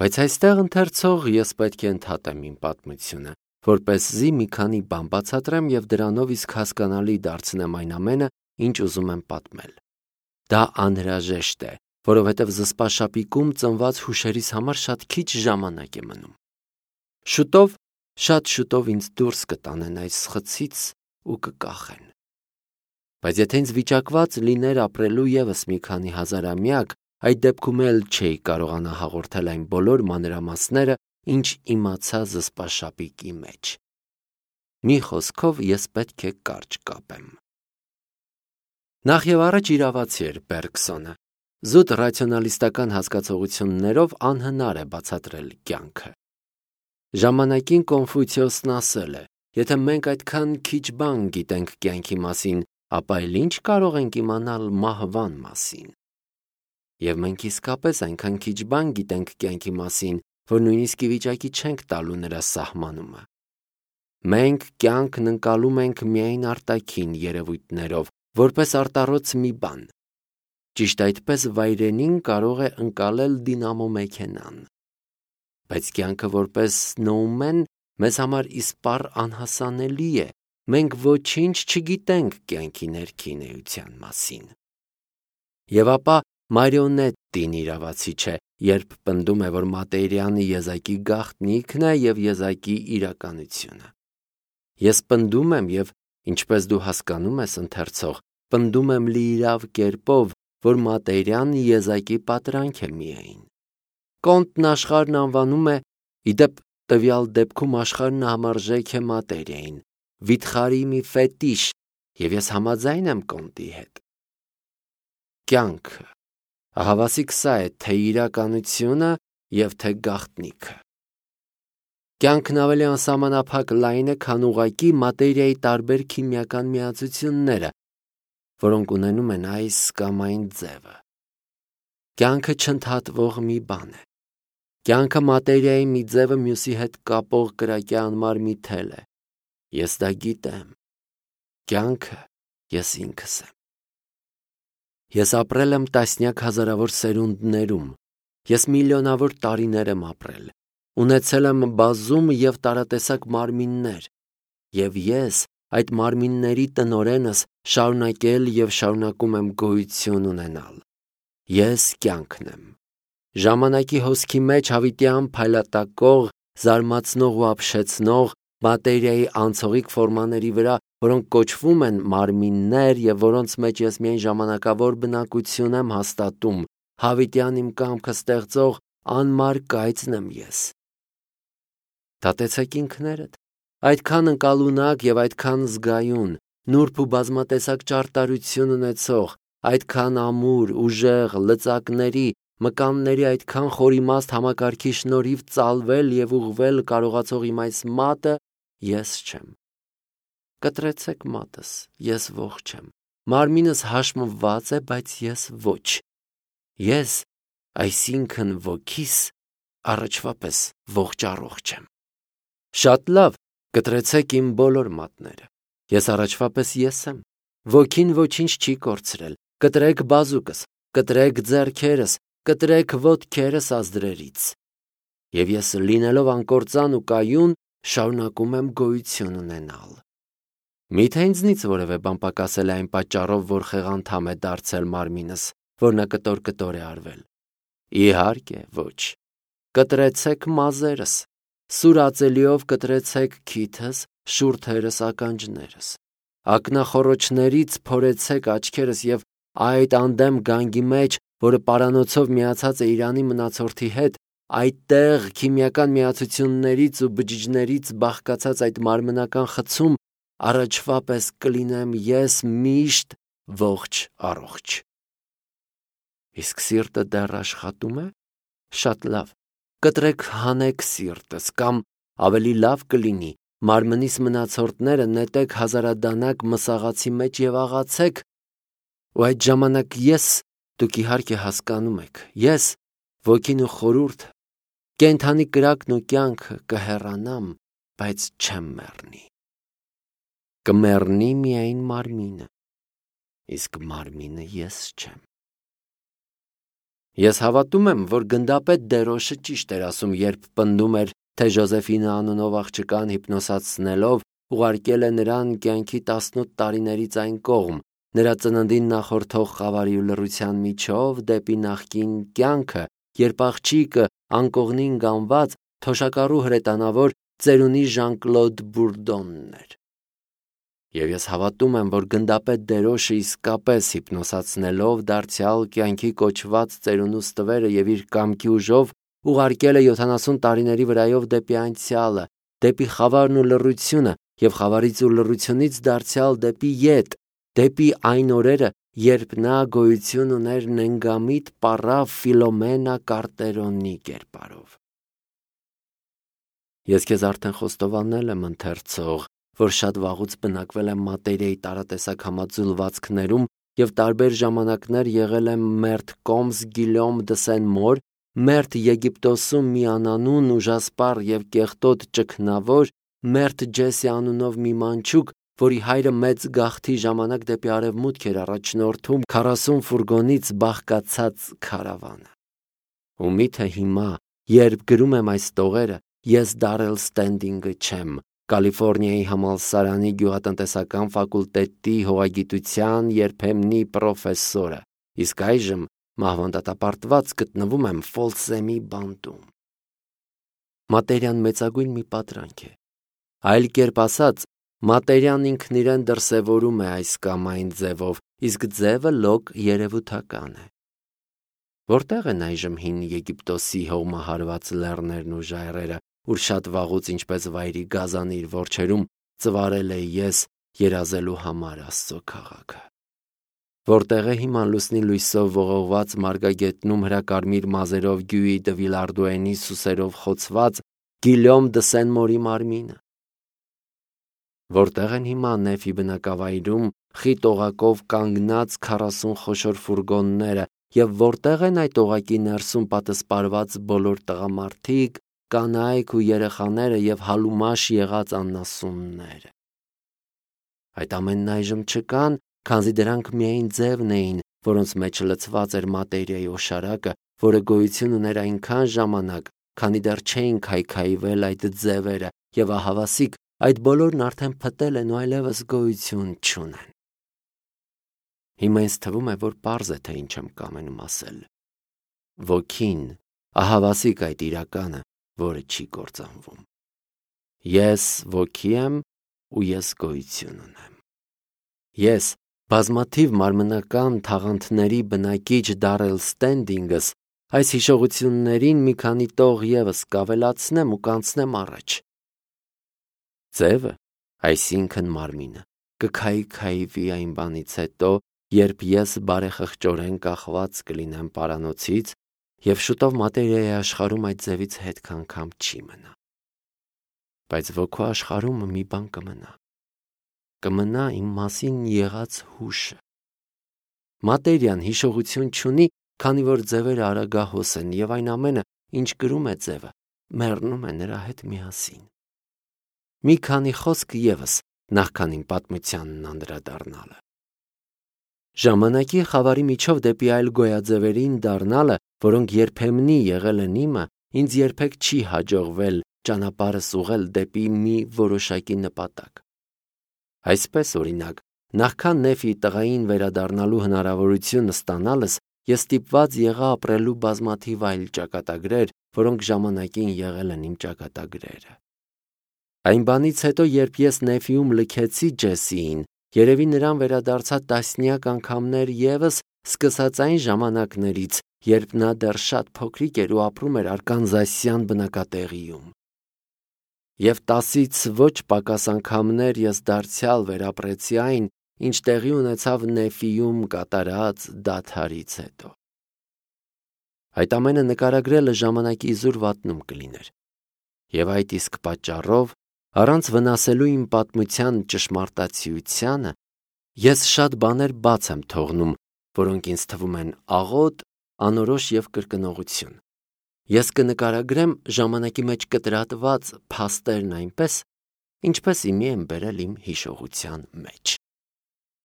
Բայց այստեղ ընթերցող ես պետք է ընդհատեմ իմ պատմությունը, որպեսզի մի քանի բան բացատրեմ եւ դրանով իսկ հասկանալի դարձնեմ այն ամենը, ինչ ուզում եմ պատմել։ Դա անհրաժեշտ է, որովհետև զսպաշապիկում ծնված հուշերիս համար շատ քիչ ժամանակ է մնում։ Շատ շուտով ինձ դուրս կտանեն այս խցից ու կկախեն։ Բայց եթե ինձ վիճակված լիներ ապրելու եւս մի քանի հազարամյակ, այդ դեպքում էլ չէի կարողանա հաղորդել այն բոլոր մանրամասները, ինչ իմացա զսպաշապիկի մեջ։ Մի խոսքով ես պետք է կարճ կապեմ։ Նախ եւ առաջ իրավացի էր Բերգսոնը։ Զուտ ռացիոնալիստական հասկացողություններով անհնար է բացատրել կյանքը։ Ժամանակին Կոնֆուցիոսն ասել է. եթե մենք այդքան քիչ բան գիտենք կյանքի մասին, ապա էլ ինչ կարող ենք իմանալ մահվան մասին։ Եվ մենք իսկապես այնքան քիչ բան գիտենք կյանքի մասին, որ նույնիսկ ի վիճակի չենք տալու նրա սահմանումը։ Մենք կյանքն ընկալում ենք միայն արտաքին երևույթներով, որպես արտառոց մի բան։ Ճիշտ այդպես վայրենին կարող է ընկալել դինամո մեքենան։ Բայց կյանքը որպես նոումեն մեզ համար իսպառ անհասանելի է, մենք ոչինչ չգիտենք կյանքի ներքին էության մասին։ Եվ ապա մարիոնետտին իրավացի չէ, երբ պնդում է, որ մատերիան եզակի գաղտնիքն է և եզակի իրականությունը։ Ես պնդում եմ և, ինչպես դու հասկանում ես ընթերցող, պնդում եմ լիիրավ կերպով, որ մատերիան եզակի պատրանք է միայն։ Կոնտն աշխարհն անվանում է, իդեպ տվյալ դեպքում աշխարհն համարժեք է մատերիային, վիթխարի մի ֆետիշ, և ես համաձայն եմ Կոնտի հետ։ Կյանքը, ահավասիկ սա է թե իրականությունը և թե գաղտնիքը։ Կյանքն ավելի անսահմանափակ լայն է, քան ուղղակի մատերիայի տարբեր քիմիական միացությունները, որոնք ունենում են այս կամ այն ձևը։ Կյանքը չընդհատվող մի բան է։ Կյանքը մատերիայի մի ձևը մյուսի հետ կապող կրակի անմար մի թել է։ Ես դա գիտեմ։ Կյանքը ես ինքս եմ։ Ես ապրել եմ տասնյակ հազարավոր սերունդներում։ Ես միլիոնավոր տարիներ եմ ապրել։ Ունեցել եմ բազում և տարատեսակ մարմիններ։ Եվ ես այդ մարմինների տնօրենս շարունակել և շարունակում եմ գոյություն ունենալ։ Ես կյանքն եմ։ Ժամանակի հոսքի մեջ հավիտյան փայլատակող, զարմացնող ու ապշեցնող մատերիայի անցողիկ ֆորմաների վրա, որոնք կոչվում են մարմիններ և որոնց մեջ ես միայն ժամանակավոր բնակություն եմ հաստատում, հավիտյան իմ կամքը ստեղծող անմար կայծն եմ ես։ Դատեցեք ինքներդ, այդքան ընկալունակ և այդքան զգայուն, նուրբ ու բազմատեսակ ճարտարություն ունեցող, այդքան ամուր, ուժեղ, լծակների, մկանների այդքան խորիմաստ համակարգի շնորհիվ ծալվել և ուղղվել կարողացող իմ այս մատը ես չեմ։ Կտրեցեք մատս, ես ողջ եմ։ Մարմինս հաշմված է, բայց ես ոչ։ Ես, այսինքն ոգիս, առաջվա պես ողջ առողջ եմ։ Շատ լավ, կտրեցեք իմ բոլոր մատները։ Ես առաջվա պես ես եմ։ Ոգին ոչինչ չի կորցրել։ Կտրեք բազուկս, կտրեք ձեռքերս, կտրեք ոտքերս ազդրերից։ Եվ ես լինելով անկործան ու կայուն, շարունակում եմ գոյություն ունենալ։ Միթե ինձնից որևէ բան պակասել է այն պատճառով, որ խեղանդամ է դարձել մարմինս, որ նա կտոր է արվել։ Իհարկե, ոչ։ Կտրեցեք մազերս, սուր ածելիով կտրեցեք քիթս, շուրթերս, ականջներս։ Ակնախոռոչներից փորեցեք աչքերս և այդ անդեմ գանգի մեջ, որը պարանոցով միացած է Իրանի մնացորդի հետ, այդտեղ քիմիական միացություններից ու բջիջներից բաղկացած այդ մարմնական խցում առաջվա պես կլինեմ ես միշտ ողջ առողջ։ Իսկ սիրտը դեռ աշխատում է։ Շատ լավ։ Կտրեք հանեք սիրտս, կամ ավելի լավ կլինի մարմնիս մնացորդները նետեք հազարադանակ մսաղացի մեջ և աղացեք, ու այդ ժամանակ ես, դուք իհարկե հասկանում եք, ես, ոգին ու խորհուրդը, կենդանի կրակն ու կյանքը կհեռանամ, բայց չեմ մեռնի։ Կմեռնի միայն մարմինը, իսկ մարմինը ես չեմ։ Ես հավատում եմ, որ գնդապետ Դերոշը ճիշտ էր ասում, երբ պնդում էր, թե Ժոզեֆինա անունով աղջկան հիպնոսացնելով ուղարկել է նրան կյանքի 18 տարիներից այն կողմ, նրա ծննդին նախորդող խավարի ու լռության միջով դեպի նախկին կյանքը, երբ աղջիկը անկողնին գանված թոշակառու հրետանավոր ծերունի Ժան-Կլոդ Բուրդոնն էր։ Եվ ես հավատում եմ, որ գնդապետ Դերոշը իսկապես հիպնոսացնելով դարձյալ կյանքի կոչված ծերունու ստվերը եւ իր կամքի ուժով ուղարկել է 70 տարիների վրայով դեպի անցյալը, դեպի խավարն ու լռությունը եւ խավարից ու լռությունից դարձյալ դեպի ետ, դեպի այն օրերը, երբ նա գոյություն ուներ նենգամիտ պառավ Ֆիլոմենա Կարտերոնի կերպարով։ Ես քեզ արդեն խոստովանել եմ ընթերցող, որ շատ վաղուց բնակվել եմ մատերիայի տարատեսակ համաձուլվածքներում եւ տարբեր ժամանակներ եղել եմ Մերթ Կոմս Գիլյոմ դը Սեն-Մոր, Մերթ Եգիպտոսում մի անանուն ուժասպառ եւ կեղտոտ ճգնավոր, Մերթ Ջեսի անունով մի մանչուկ, որի հայրը մեծ գաղթի ժամանակ դեպի արևմուտք էր առաջնորդում 40 ֆուրգոնից բաղկացած քարավանը։ Ու միթե հիմա, երբ գրում եմ այս տողերը, ես Դարել Ստենդինգը չեմ, Կալիֆոռնիայի համալսարանի գյուղատնտեսական ֆակուլտետի հողագիտության երբեմնի պրոֆեսորը, իսկ այժմ մահվանդատապարտված գտնվում եմ Ֆոլսեմի բանտում։ Մատերիան մեծագույն մի պատրանք է։ Այլ կերպ ասած, մատերիան ինքն իրեն դրսևորում է այս կամ այն ձևով, իսկ ձևը լոկ երևութական է։ Որտեղ են այժմ հին Եգիպտոսի հողմահարված լեռներն ու ժայռերը, ուր շատ վաղուց ինչպես վայրի գազանիր որջերում ծվարել էի ես երազելու համար Աստծո քաղաքը։ Որտեղ է հիմա լուսնի լույսով ողողված Մարգագետնում հրակարմիր մազերով Գյուի դը Վիլարդուենի սուսերով խոցված Գիլյոմ դը Սեն-Մորի մարմինը։ Որտեղ են հիմա Նեֆի բնակավայրում խիտ օղակով կանգնած 40 խոշոր ֆուրգոնները եւ որտեղ են այդ օղակի ներսում պատսպարված բոլոր տղամարդիկ, կանայք ու երեխաները եւ հալումաշ եղած աննասունները։ Այդ ամենն այժմ չկան, քանզի դրանք միայն ձևն էին, որոնց մեջ լցված էր մատերիայի օշարակը, որը գոյություն ուներ այնքան ժամանակ, քանի դեռ չէին քայքայվել այդ ձևերը եւ ահավասիկ այդ բոլորն արդեն փտել են ու այլևս գոյություն չունեն։ Հիմա ինձ թվում է, որ պարզ է, թե ինչ եմ կամենում ասել։ Ոգին, ահավասիկ այդ իրականը, որը չի կործանվում։ Ես ոգի եմ ու ես գոյություն ունեմ։ Ես բազմաթիվ մարմնական թաղանթների բնակիչ Դարել Ստենդինգս այս հիշողություններին մի քանի տող եւս կավելացնեմ ու կանցնեմ առաջ։ Ձևը, այսինքն մարմինը, կքայքայվի այն բանից հետո, երբ ես բարեխղճորեն կախված կլինեմ պարանոցից եւ շուտով մատերիայի աշխարհում այդ ձևից հետք անգամ չի մնա։ Բայց ոգու աշխարհում մի բան կմնա։ Կմնա իմ մասին եղած հուշը։ Մատերիան հիշողություն չունի, քանի որ ձևերը արագահոս են եւ այն ամենը, ինչ կրում է ձևը, մեռնում է նրա հետ միասին։ Մի քանի խոսք եւս նախքան իմ պատմությանն անդրադառնալը։ Ժամանակի խավարի միջով դեպի այլ գոյաձևերին դառնալը, որոնք երբեմնի եղել են իմը, ինձ երբեք չի հաջողվել ճանապարհս ուղղել դեպի մի որոշակի նպատակ։ Այսպես, օրինակ, նախքան Նեֆի տղային վերադառնալու հնարավորություն ստանալս, ես ստիպված եղա ապրելու բազմաթիվ այլ ճակատագրեր, որոնք ժամանակին եղել են իմ ճակատագրերը։ Այն բանից հետո, երբ ես Նեֆիում լքեցի Ջեսիին, երևի նրան վերադարձա տասնյակ անգամներ եւս, սկսած այն ժամանակներից, երբ նա դեռ շատ փոքրիկ էր ու ապրում էր Արկանզասյան բնակատեղիում։ Եվ 10-ից ոչ պակաս անգամներ ես դարձյալ վերապրեցի այն, ինչ տեղի ունեցավ Նեֆիում կատարած դադարից հետո։ Այդ ամենը նկարագրելը ժամանակի իզուր վատնում կլիներ։ Եվ այդ իսկ պատճառով, առանց վնասելու իմ պատմության ճշմարտացիությանը, ես շատ բաներ բաց եմ թողնում, որոնք ինձ թվում են աղոտ, անորոշ եւ կրկնողություն։ Ես կնկարագրեմ ժամանակի մեջ կտրատված փաստերն այնպես, ինչպես իմի եմ բերել իմ հիշողության մեջ։